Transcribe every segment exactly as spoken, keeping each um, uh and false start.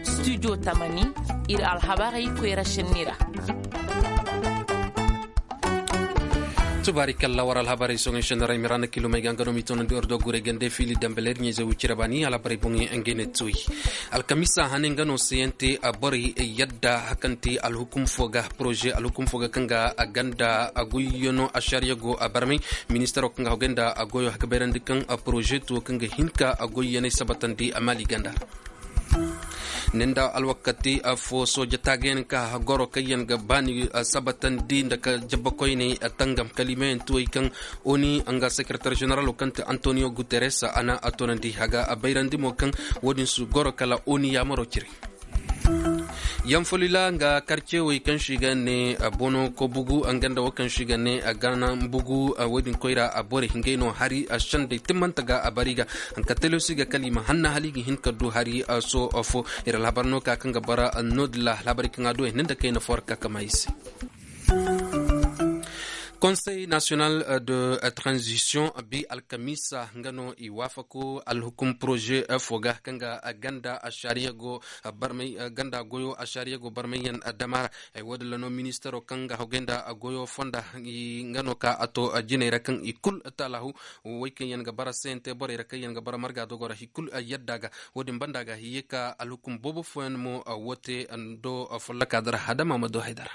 Studio tamani, ir alhabarey koyra šenni ra. Tubaari kalla war alhabarey soŋey šenni ra i ma ra na kilomey ga nga no m'i toonandi war do guray gande fiili dambe leer ɲayze wucira baani alhabarey boŋey nga ne tuuy. Alkamisa hane nga no sayante borey yadda hakante alhukum fo ga poroze alhukum fo ga kaŋ ga a ganda a goyyano a šariya go a barmay. Ministaro kaŋ ga hogay nda a goyo haka bayrandi kaŋ a poroze tuwo kaŋ ga hin ka a goyyanay sabatandi a maali ganda ra. Ninda alwakati fo sooja taagayaŋ ka goro kaŋ yaŋ ga baani sabatandi nda ka jabbakoyney tangam kalimayaŋ tuwey kaŋ oni nga sekeretar ženeralo kaŋ ti antoniyo guteres a na a toonandi haga a bayrandi mo kaŋ wo-din su goro kala oni yaamaro cire. Yanfolila nga karcewey kaŋ se i ga ne bono kobugu nga nda wo kaŋ se i ga ne gana bugu wo-din koyra a borey ngey no hari a sendey timmante ga a bari ga. Hanka telosi ga kala i ma hanna hala i ga hin ka du hari soho fo. Ir alhabar no ka kaŋ ga bara no-din ra alhabarey kaŋ a du ay hinne nda kayna fo ra ka kama i se. Konsey nasiyonal de tranzisiyoŋ bi alkamiisa nga no i waafaku alhukum poroze fo ga kaŋ ga ganda ašariya go barmay ganda goyo ašariya go barmayyaŋ dama ra. Ay wo- din ra no ministaro kaŋ ga hogay nda goyo fonda nga no ka a to jinay ra kaŋ i kul taalahu. Wey kaŋ yaŋ ga bara sente borey ra kaŋ yaŋ ga bara marga dogo ra i kul yadda ga. Wo- din banda ga i ye ka alhukum boobo fooyaŋ mo wo te do folloka dara hadama ma do haydara.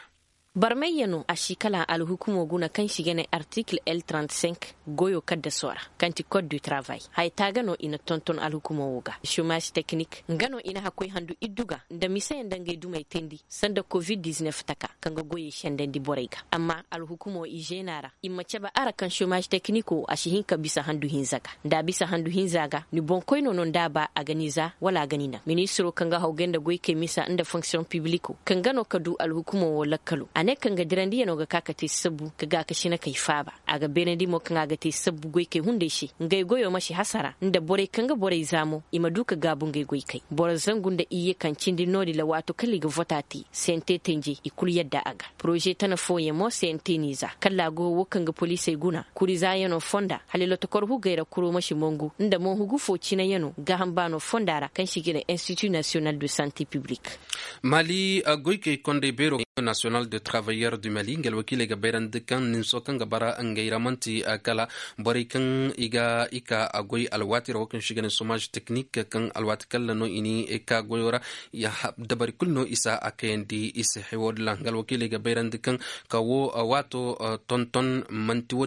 Barmayyaŋo a si kala alhukumo guna kaŋ si ga ne artikil el trente-cinq goyo kaddaso ra kaŋ ti kod du travay haya taaga no i na tonton alhukumo wo ga šomaz teknik nga no i na hakkoy handu iddu ga nda miseyaŋ nda ngey dumey teendi sanda covid dix-neuf taka kaŋ ga goyey sendandi borey ga amma alhukumo i zeena ra i ma cabe ara kaŋ šomaz teknik wo a si hin ka bisa handu hinza ga. Nda a bisa handu hinza ga ni boŋkoyno no nda a ba a ga ni za wala a ga ni naŋ ministiro kaŋ ga hawgay nda goykey misa nda fonksiyoŋ pibliko kaŋ ga no ka du alhukumo wo lakkalo a ne kaŋ ga dirandiyaŋo ga ka ka te sabbu ka gaakasina kay faaba. A ga beerandi mo kaŋ a ga te sabbu goykey hunday se ngey goyo ma si hasara nda borey kaŋ ga borey za mo i ma du ka gaabu ngey goykey boro zangu nda iyye kaŋ cindi no- din ra waato kala i ga vota te sente tenjey i kulu yadda a ga. Poroze tana fooyaŋ mo sente n'i za kala a go wo kaŋ ga poliisey guna kuri zaayaŋo fonda hala lotokor hugey ra kuro ma si mongu nda mo hugu fo cinayaŋo gaaham baano fonda ra kaŋ si ga ne institu nasiyonal de sante piblik. Mali goykey kondey beero nasiyonal de travayyer du mali nga alwakiiley ga bayrandi kaŋ ninso kaŋ ga bara ngey ra man'ti kala borey kaŋ i ga i ka a goy alwaati ra wo kaŋ si ga ne somaz teknik kaŋ alwaati kalla no i ni ka goyo ra. Dabari kulu no i si a kayandi i se hay wo- din ra nga alwakiiley ga bayrandi kaŋ ka wo waato tonton man'ti wo-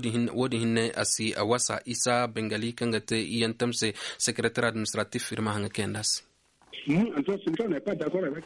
din hinne a si wasa isa bengali kaŋ ga te iyantam se sekeretar administratif ir ma haŋa kayandi a se.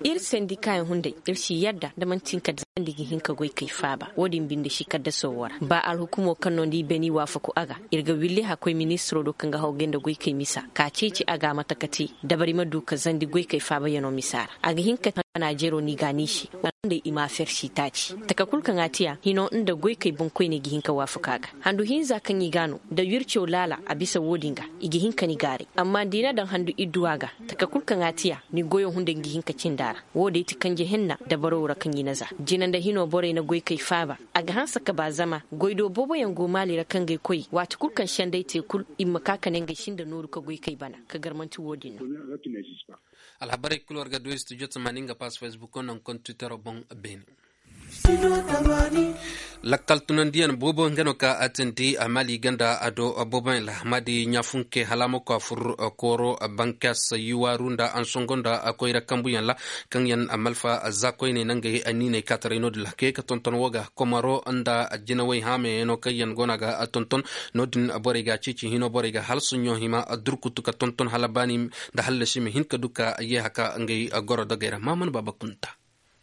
Ir sendikaayaŋ hunday ir si yadda nda man'ti hinka da sandi ga hin ka goy kay faaba wo- din binde si kaddaso wo ra ba alhukumo kaŋ no nda i beni waafaku a ga. Ir ga willi hakkoy ministiro do kaŋ ga hawgay nda goykey misa ka ceeci a ga a mate ka te dabari ma du ka zandi goykey faabayaŋo misa ra a ga hin ka te. Naajeero no i ga a niisi wala hunday i ma afer si taaci taka kul kaŋ a te a hino nda goykey boŋkoyney ga hin ka waafaku a ga. Handu hinza kaŋ i ga a no nda wirco laala a bisa wo- din ga i ga hin ka ni gaaray amma nda i na daŋ handu idduwa ga taka kul kaŋ a te a ni goyo hunday nga hin ka cinda a ra. Wo- din ti kanje hinna dabaro ra kaŋ i na za jina nda hino borey na goykey faaba. A ga hanse ka ba zama goy do booboyaŋ go maali ra kaŋ ga ay koy waati kul kaŋ sendey te kul i ma ka ka ne ngey sinda nooru ka goykey bana ka gar man'ti wo- din no. Alhabarey kul war ga du studio tamaani nga pass facebook naŋ kontitero boŋ beene. Lakkal tunandiyaŋ boobo nga no ka a tindi a maali ganda a do booboyaŋ ra ma di ɲaafunke hala a ma ko a fur kooro bankas yuwaaru nda ansongo nda koyra kambuyaŋ ra kaŋ yaŋ malfa za koyney nangey niiney kaataray no- din ra ka ye ka tonton wo ga komaro nda jinawey haameyaŋo kaŋ yaŋ go no a ga tonton. No- din borey ga a ceeci hino borey ga hala soɲõ hima durkutu ka tonton hala baani nda hallasi ma hin ka du ka ye haka ngey goro dogey ra maaman baaba kunta.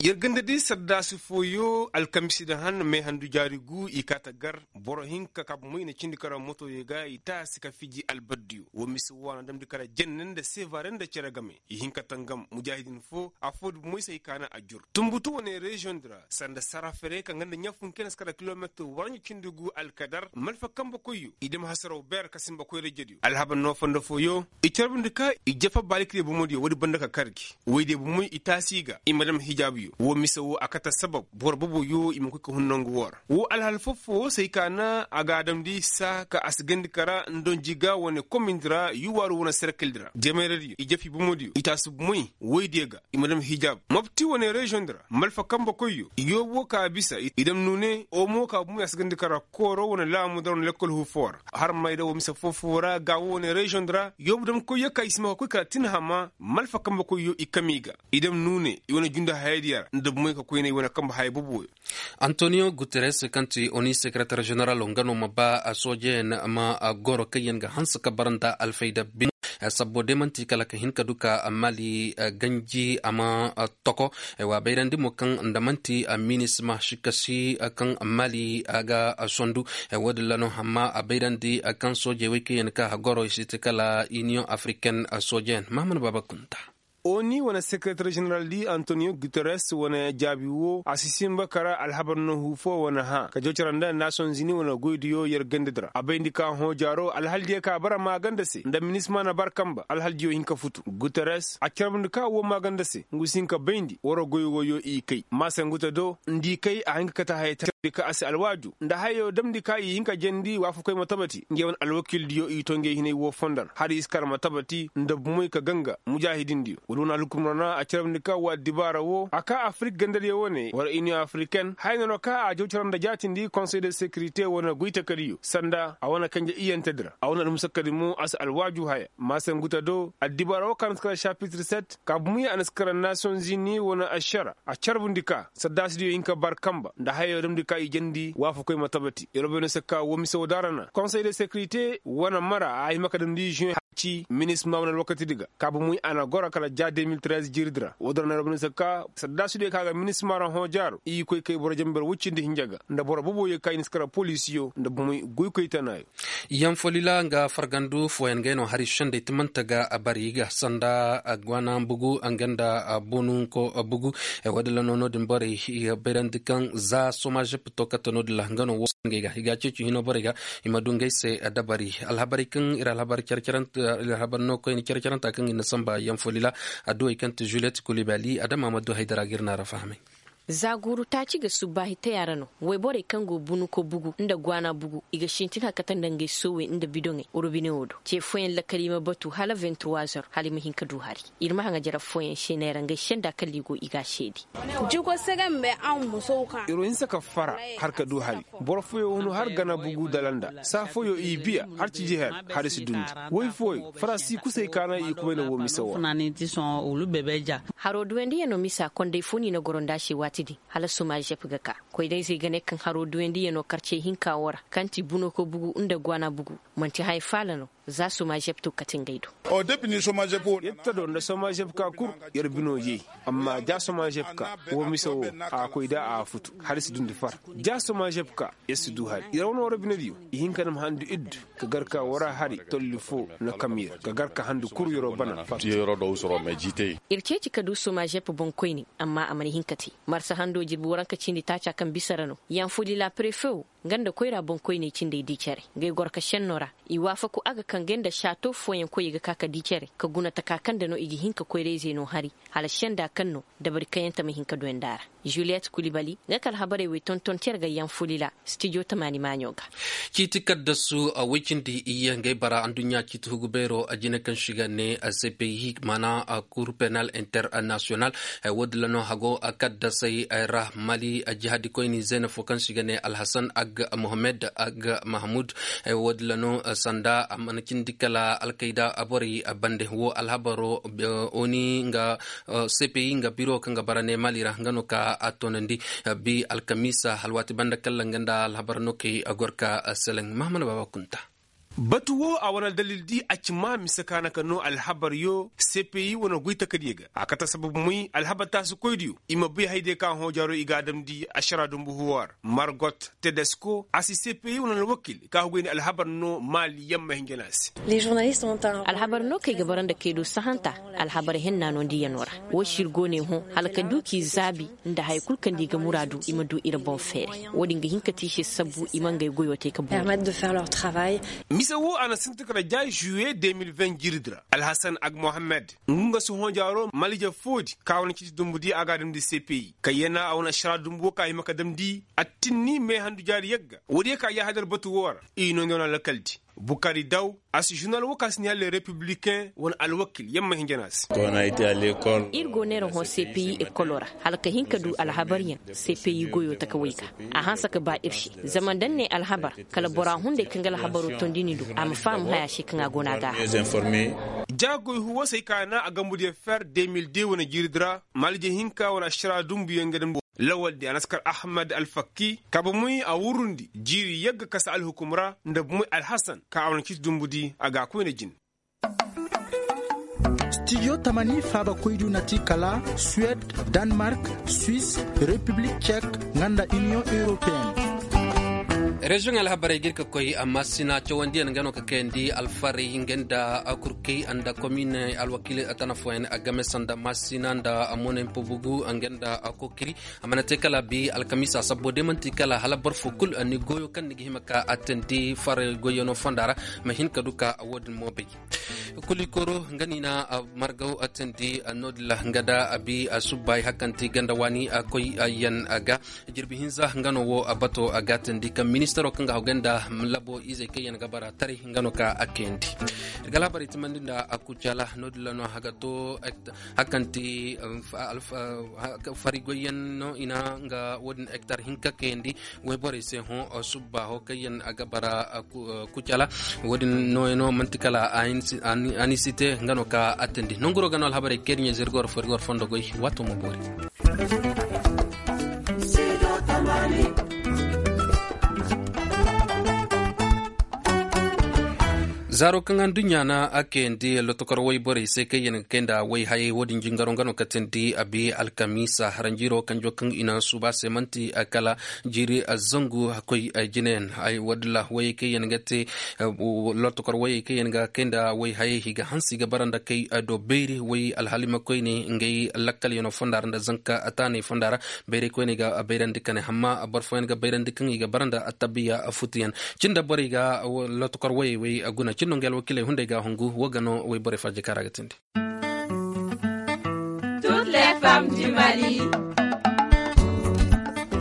Yer ganda di sardaasi fooyo alkamisi nda han meehandu jaari gu i kaa ta gar boro hinka ka bomoy na cindi kara motoyo ga i taasi ka fiji albaddiyo wo mise waana damndi kara jenne nda sevare nda cere game i hin ka tangam mujaahidin fo affoo di bomoy se i kaana a jur. Tumbutu wane reziyoŋ di ra sanda sara fere kaŋ ganda ɲaafun kena si kara kilometir waranju cindi gu alkadar malfa kambe koyyo i dam hasaraw beer ka simba koyra jediyo alhabar no fondo fooyo. I carbundi ka i jefa baalikirey bomodiyo woodi banda ka kar gi woydiyo bomoy i taasi ga i ma dam hijaabuyo. Woo mise woo a kate sabab boro boboyo i ma koy ka hun nangu woo ra. Woo alhal foffo woo se ay ka na a ga a damndi saa ka a si gandi kara ndonji ga wane komindi ra yuwaaru wane serkildi ra jemayradiyo i jefi bomodiyo i taasi bomey woydiyo ga i ma dam hijab mopti wane reziyoŋ di ra malfa kambe koyyo yoobo ka bisa i dam nuune omo ka bomey a si gandi kara kooro wane laamu di ra wane lekkol huufoo ra. Har mayda woo mise foofoo ra ga woo wane reziyoŋ di ra yoobo dam koyyo ka i si ma ka koy kala tinhama malfa kambe koyyo i kami ga i dam nuune i wane jundi hayadiyo ra nda bomey ka koynay wane kambe haya boboyo. Antoniyo guteres kaŋ ti oni sekereter ženeral nga no ma ba soojeyaŋ ma goro kaŋ yaŋ ga hanse ka bara nda alfayda bine. Sabbo day man'ti kala ka hin ka du ka mali ganji a ma toko. Wa bayrandi mo kaŋ nda man'ti minisma si kasi kaŋ mali ga sondu. Wo- din ra no amma a bayrandi kaŋ soojey wey kaŋ yaŋ ka goro i si ti kala iniyoŋ afriken soojeyaŋ mahamad baaba kunta. Oni wane sekereter ženeral di antoniyo guteres wane jaabi woo a si sinba kara alhabar no huu foo wane hã ka jawcara nda nasoŋ zini wane goydiyo yer gandadi ra a bayndi ka hõ jaaro alhaldiyo ka bara maaganda se nda minisma na bar kanba alhaldiyo hin ka futu guteres a carbundi ka woo maaganda se ngu si hin ka bayndi wara goy wooyo i kay maase ngu te do nda i kay a hin ka kate haya te carbundi ka a si alwaaju nda hayo damndi ka i hin ka jandi waafakoy ma tabati ngey wane alwakildiyo i to ngey hinay woo fondo ra hala i si kar ma tabati nda bumey ka ganga mujaahidindiyo wala wane alhukumra na a carabndi ka woo addibaara woo a ka afirik gandadiyo wane war iniyoŋ afiriken haya no no ka a jaw cara nda jaatindi konsey de sekirite wane goytakadiyo sanda a wane kanje iyantedi ra a wane almusakadi mo a si alwaaju haya maase ngu te do addibaara woo ka na si kara sapitir set ka bumey a na si kara nasoŋ zini wane ašara a carbundi ka saddaasidiyo hin ka bar kanba nda hayo damndi ka i jandi waafakoy ma tabati yerobey no se ka woo mise woo daara na konsey de sekirite wane mara a hima ka damndi zuwe ci minisma wane alwakatidi ga ka bumey a na goro kala ja de mil trez jiiridi ra woo daara na yerobey no se ka saddaasidiyo ka ga minisma ra hõ jaaro i koy kay boro jamber woy cindi hinja ga nda boro boboyo ka i na si kara polisiyo nda bumey goykoy tanaayo. Yanfolila nga fargandu fooyaŋ gay no hari sendey timante ga a bari ga sanda gwana bugu nga nda bununko bugu. Woo din ra no no- din borey i ga bayrandi kaŋ za somajep to kate no- din ra nga no woo se ngey ga i ga a ceeci hino borey ga i ma du ngey se dabari alhabarey kaŋ ir alhabar cer- cer- alhabar no koyne cer- ceranta kaŋ ir na samba yanfolila adduwey kaŋ ti juliyet kulibali adama ma du haydara ga ir na ra fahamay. Za guuru taaci ga subbaahi taya ra no wayborey kaŋ go bunuko bugu nda gwaana bugu i ga sintin hari kate nda ngey soowey nda bidoŋey robine wo do ce fooyaŋ lakali ma batu hala vingt trois heures hala i ma hin ka du hari. Ir ma haŋa jara fooyaŋ seeney ra ngey senda kala i go i ga a seedi. Iroo hinsa ka fara har ka du hari boro fooyaŋ hun har gana bugu dalanda saa fooyaŋ i biya har ciji her hari si dundi. Woy fooyaŋ faransi kusay kaana i kubay na woo mise woo ra. Haroo duwandiyano misa konday foo ni na goro nda a se waati din hala soma žep ga ka koyda-izey ga ne kaŋ haroo duwandiyano karcey hinka woo ra kaŋ ti buno ka bugu nda gwaana bugu. Man'ti haya faala no za soma žep to kate ngey do. Yer ta do nda soma žep ka kul yer bino yee. Amma ja soma žep ka woo mise woo a koyda a futu hala i si dundi far ja soma žep ka yer si du hari yer wane wara binediyo. I hin ka na ma handu iddu ka gar ka wara hari tolli foo na kam yer ka gar ka handu kuru yeroo bana. Ir ceeci ka du soma žep boŋkoyne amma a mana hin ka te. Marsa hando jirbi waranka cindi taaca kaŋ bisa ra no yanfuli la prefe wo nga nda koyra boŋkoyney cindey di cere. Ngey goro ka šenno ra i waafaku a ga kaŋ ngey nda šaato fooyaŋ koyey ga ka ka di cere ka guna taka kaŋ nda no i ga hin ka koyra-izey no hari hala šenda kaŋ no dabari kaŋ yaŋ ta ma hin ka duwandi a ra. Juliyet kulibali nga ka alhabarey wey tonton cere ga yanfuli la stijo tamaani maaɲo ga. Ciiti kaddasu woy cindi iyye ngey bara adduɲɲa ciiti hugu beero jine kaŋ se i ga ne cpi maana kur penal international. Woodin ra no hago kaddasey ra mali jihadikoyni zeena fo kaŋ se i ga ne alhasan ag mohammed ag mahmud. Woodin ra no sanda a mana cindi kala alkayda borey bande wo alhabaro oni nga cpi nga biro kaŋ ga bara ne mali ra nga no ka a toonandi bi alkamiisa alwaati banda kalla nga nda alhabar no kay gor ka seleŋ mahamana baaba kunta. Batu wo a wane aldalil di a ci ma mise ka na ka no alhabar yo cpi wane goy takadiyo ga a kate sabab moy alhabar taasikoydiyo i ma bay haydiyo ka hõ jaaro i ga a damndi ašara dumbu huwa ra margot tedesko a si cpi wane alwakil ka hugay nda alhabar no maali yamma hinja no a se. Alhabar no kaŋ i ga bara nda kay do sahanta alhabar henna no nda i yano ra. Wo se ir go ne hõ hala ka du k'i zaabi nda haya kulu kaŋ nda i ga muraadu i ma du ir boŋ feeray. Wo-din ga hin ka te i se sabbu i ma ngey goyo te ka boori. Isa wo a na sinti kala ja žuwiye de mil ven jiiridi ra. Alhasan ag mohammed, ngu nga si hõ jaaro malije foodi ka wane ciiti dumbudi a ga a damndi cpi ka yana a wane ašara dumbu wo ka hima ka damndi. Attinni meehandu jaari yagga woodiyo ka yaahadar batu wo ra. I no nda wane alakaldi bukari daw a si žurnal wo ka si ni halle republiken wane alwakil yamma hinja no a se. Ir go neera hõ cpi ekolo ra hala ka hin ka du alhabaryaŋ. Cpi goyo taka way ga a hanse ka ba ir se. Zama da ni ne alhabar kala bora hunday kaŋ ga alhabaro tondini do a ma faham haya se kaŋ a go no a ga a haŋ. Jaagoy huwasey ka na a gambudiyo fer de mil de wane jiiridi ra malije hinka wane ašara dumbuyaŋ ga damndi. Lawaldi a na si kar ahmed alfakki ka bomey a wurundi jiiri yagga kasa alhukum ra nda bomey alhasan ka a wane ciiti dumbudi a ga a koyne jin. Stijo tamani faabakoydiyo na ti kala suwed, danmark, swis, repiblik cek, nga nda iniyoŋ europeyen. Reziyoŋ alhabarey ga ir ka koy amma sina cawandiyaŋ nga no ka kayandi alfarey nga nda kurkey nda komin alwakiiley a tana fooyaŋ a game sanda masina nda monen pubugu nga nda kokiri. A mana te kala bi alkamiisa sabbo de manti kala hala boro fo kulu ni goyo kaŋ ni ga hima ka attendi farey goyyaŋo fonda ra. Ma hin ka du ka wo- din mo bay. Kulikoro nga ni na margaw attendi no- din ra nga da a bi a subbay hakanti ganda waani a koy yaŋ ga. Jirbi hinza nga no wo a bato a gaatandi kaŋ ministaro kaŋ ga haw ganda labo izey kaŋ yaŋ ga bara taray nga no ka a kayandi. Irga alhabarey timandi nda a kucala no- din ra no a ga to. Hakanti farigoyyaŋ no i na nga wo- din hektar hinka kayandi. Wayborey se hõ subba ho kaŋ yaŋ a ga bara kucala. Wo- din nooyaŋo manti kala anisite nga no ka attandi nonguro ga no alhabarey kaŋ ir ɲa zirgor farigor fondo goy. Waato ma boori. Zaaro kaŋ aduɲɲa na a kayandi lotokor wayborey se kaŋ yaŋ ga kay nda wayhayey wo- din jingaro nga no katandi a bi alkamiisa haranjiiro kanjo kaŋ i na suuba se manti kala jiiri zangu koy. Jinayaŋ ay walla wayey kaŋ yaŋ ga te lotokor wayey kaŋ yaŋ ga kay nda wayhayey i ga hanse i ga bara nda kay do beeri way alhalimakoyne ngey lakkalyaŋo fonda ra nda zanka taanay fonda ra. Bayray koyne ga bayrandi ka ne amma boro fooyaŋ ga bayrandi kaŋ i ga bara nda attabiya futuyaŋ. Cin da borey ga lotokor wayey way guna cin no nga alwakiiley hunday ga hungu wo ga no wayborey farjaka ra ga tindi.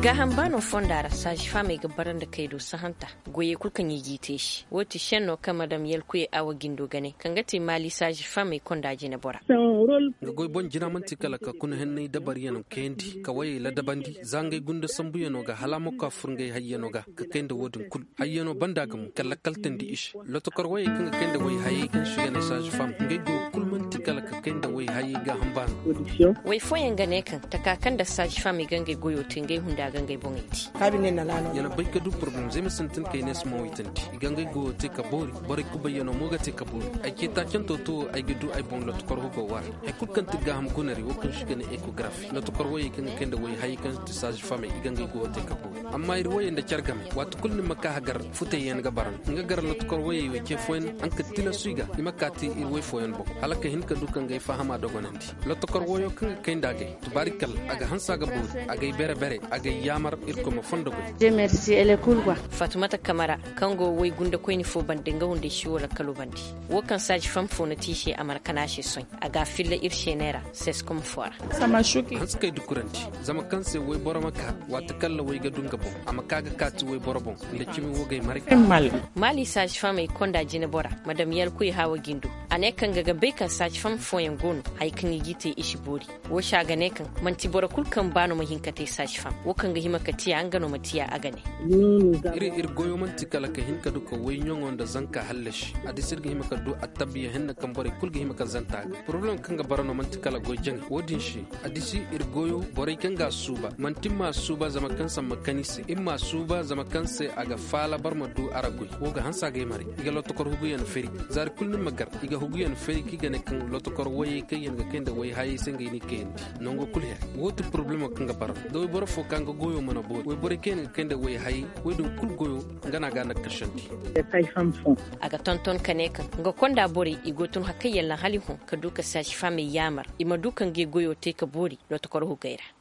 Gaaham baano fonda ra saazi faamey ga bara nda kay do sahanta. Goyey kul kaŋ i g'i te i se wo ti šenno kaŋ madam yalkuyey awa gindo ga ne kaŋ ga ti maali saazi faamey konda jinebora. Nga goy boŋ jina man'ti kala ka kuna henney dabaryaŋ kayandi ka wayey ladabandi za ngey gunda sambuyaŋo ga hala a ma koy a fur ngey hayyaŋo ga ka kay nda wo- din kul. Hayyaŋo banda ga mo ka lakkaltandi i se. Lotokor wayey kaŋ ga kay nda wayhayey kaŋ se i ga ne saazi fam ngey goyo kul man'ti kala ka kay nda wayhayey gaaham baano. Way fooyaŋ ga ne kaŋ taka kaŋ nda saazi fam i ga ngey goyo te ngey hunda ga ngey boŋey te. Ya na bay ka du poroblem zey ma sintin kay ne si ma waytandi i ga ngey goyo te ka boori. Borey kubayyaŋo mo ga te ka boori. Ay ceeta canto to wo ay ga du ay boŋ lotokor hugo war hay kul kaŋ ti gaaham gunari wo kaŋ se i ga ne ekografi lotokor wayey kaŋ ga kay nda wayhayey kaŋ ti saazi famey i ga ngey goyo te ka boori. Amma ir wayey nda care game waati kulu ni ma ka hagar futayyaŋ ga bara nga gar lotokor wayey way ce fooyaŋ. Haŋ ka tilasu i ga i ma kaati ir way fooyaŋ boŋ hala ka hin ka du ka ngey fahama dogonandi. Lotokor wayo kaŋ ga kay nda agay tubaarikalla a ga hanse a ga boori a gay bere bere a gay yaamar. Irkoy ma fondo goy. Faatumata kamara kaŋ go way gundakoyni fo bande nga hunday si wo lakkalo bande. Wo kaŋ saazi fam fo na te i se a mana kana a se soy a ga a filla ir se neera seskom fo ra. Hanse kay dukurandi zama kaŋ se wayboro ma ka waati kaŋ ra way ga du nga boŋ a ma ka ga kaati wayboro boŋ. Nda cimi wo gay maray. Maali saazi famey konda jinebora madam yalkuy haawa gindo. A ne kaŋ ga ga bay kaŋ saazi fam fooyaŋ go no haya kaŋ i g'i te i si boori. Wo se a ga ne kaŋ man'ti boro kul kaŋ ba no ma hin ka te saazi fam wo kaŋ ga hima ka tiya nga no ma tiya a ga ne. Ir ir goyo man'ti kala ka hin ka du ka wayɲaŋo nda zanka hallasi a disi ir ga hima ka du attabiya henna kaŋ borey kul ga hima ka zanta a ga poroblem kaŋ ga bara no man'ti kala goy jaŋay wo- din se. A disi ir goyo borey kaŋ ga a suuba man'ti ir m'a suuba zama kaŋ se a ma kan i se ir m'a suuba zama kaŋ se a ga faala boro ma du a ra goy. Wo ga hanse a ga ay maray i ga lotokor huguyaŋ fari. Zaari kulu ni ma gar i ga huguyaŋ fari kaŋ i ga ne kaŋ lotokor wayey kaŋ yaŋ ga kay nda wayhayey se ngey n'i kayandi. Nango kulu her wo ti poroblemo kaŋ ga bara da wayboro fo ka nga goyo mana boori wayborey kaŋ yaŋ ga kay nda wayhayey wey din kulu goyo. Nga no a ga a nakasandi. A ga tonton ka ne kaŋ nga konda borey i go tun hakay yalla hali hõ ka du ka saazi famey yaamar i ma du ka ngey goyo te ka boori. Lotokor hugey ra.